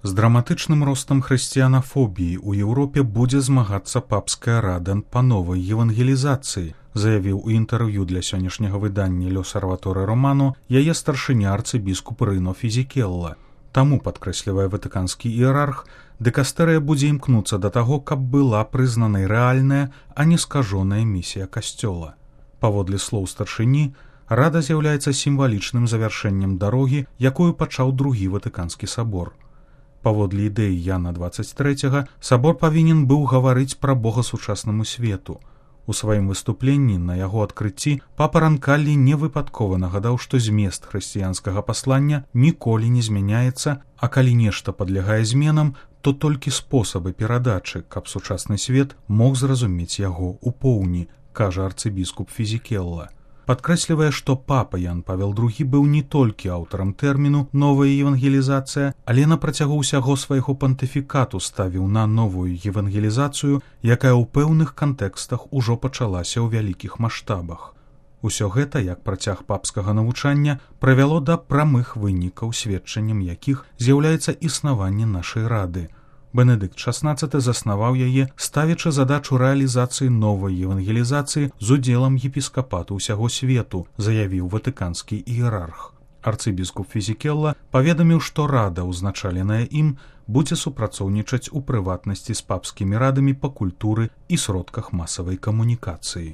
З драматычным ростам хрысціянафобіі ў Еўропе будзе змагацца папская рада па новай евангелізацыі, заявіў у інтэрв'ю для сённяшняга выдання «L'Osservatore Romano» яе старшыня арцыбіскуп Рыно Фізікелла. Таму, падкрэслівае ватыканскі іерарх, дыкастэрыя будзе імкнуцца да таго, каб была прызнанай рэальная, а не скажоная місія касцёла. Паводле слоў старшыні, рада з'яўляецца сімвалічным завяршэннем дарогі, якую пачаў другі ватыканскі сабор. Паводле ідэі Яна 23 сабор павінен быў гаварыць пра Бога сучаснаму свету. У сваім выступленні на яго адкрыцці папа Ранкаллі невыпадкова нагадаў, што змест хрысціянскага паслання ніколі не змяняецца, а калі нешта падлягае зменам, то толькі спосабы перадачы, каб сучасны свет мог зразумець яго ў поўні, кажа арцыбіскуп Фізікелла. Падкрэслівае, што папа Ян Павел II быў не толькі аўтарам тэрміну «новая евангелізацыя», але на працягу ўсяго свайго пантыфікату ставіў на новую евангелізацыю, якая ў пэўных кантэкстах ужо пачалася ў вялікіх маштабах. Усё гэта, як працяг папскага навучання, прывяло да прамых вынікаў, сведчаннем якіх з'яўляецца існаванне нашай рады. Бенедыкт XVI заснаваў яе, ставячы задачу рэалізацыі новай евангелізацыі з удзелам епіскапату ўсяго свету, заявіў ватыканскі іерарх. Арцыбіскуп Фізікелла паведаміў, што рада, узначаленая ім, будзе супрацоўнічаць у прыватнасці з папскімі радамі па культуры і сродках масавай камунікацыі.